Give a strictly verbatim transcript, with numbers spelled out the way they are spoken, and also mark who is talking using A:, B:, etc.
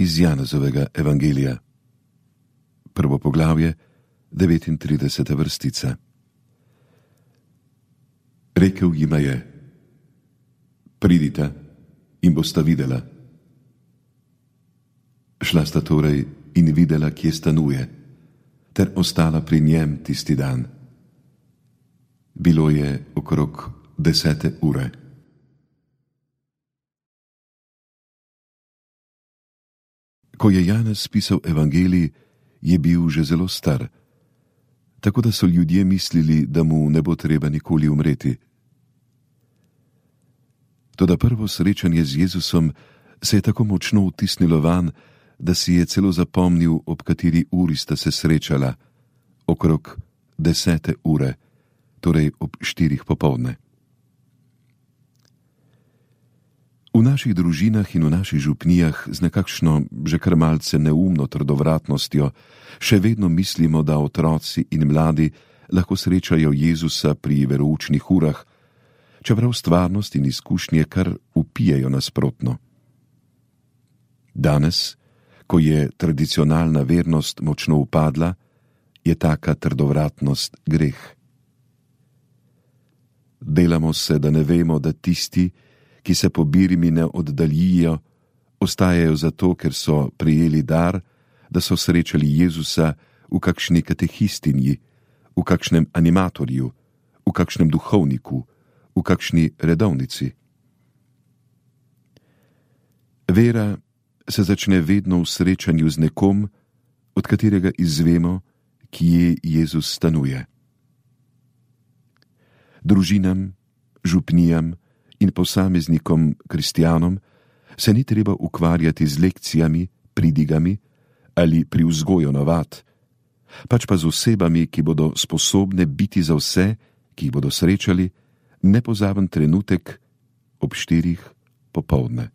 A: Iz Janezovega evangelija. Prvo poglavje, devetintrideseta vrstica. Rekel jima je: Pridita in bosta videla. Šla sta torej in videla, kje stanuje, ter ostala pri njem tisti dan. Bilo je okrog desete ure. Ko je Janez pisal evangelij, je bil že zelo star, tako da so ljudje mislili, da mu ne bo treba nikoli umreti. Toda prvo srečanje z Jezusom se je tako močno vtisnilo vanj, da si je celo zapomnil, ob kateri uri sta se srečala, okrog desete ure, torej ob štirih popoldne. V naših družinah in v naših župnijah z nekakšno že kar malce neumno trdovratnostjo še vedno mislimo, da otroci in mladi lahko srečajo Jezusa pri veroučnih urah, čeprav stvarnost in izkušnje kar vpijejo nasprotno. Danes, ko je tradicionalna vernost močno upadla, je taka trdovratnost greh. Delamo se, da ne vemo, da tisti, ki se po birmi ne oddaljijo, ostajajo zato, ker so prejeli dar, da so srečali Jezusa v kakšni katehistinji, v kakšnem animatorju, v kakšnem duhovniku, v kakšni redovnici. Vera se začne vedno v srečanju z nekom, od katerega izvemo, kje Jezus stanuje. Družinam, župnijam in posameznikom kristjanom se ni treba ukvarjati z lekcijami, pridigami ali pri vzgoju navad, pač pa z osebami, ki bodo sposobne biti za vse, ki jih bodo srečali, nepozaben trenutek ob štirih popoldne.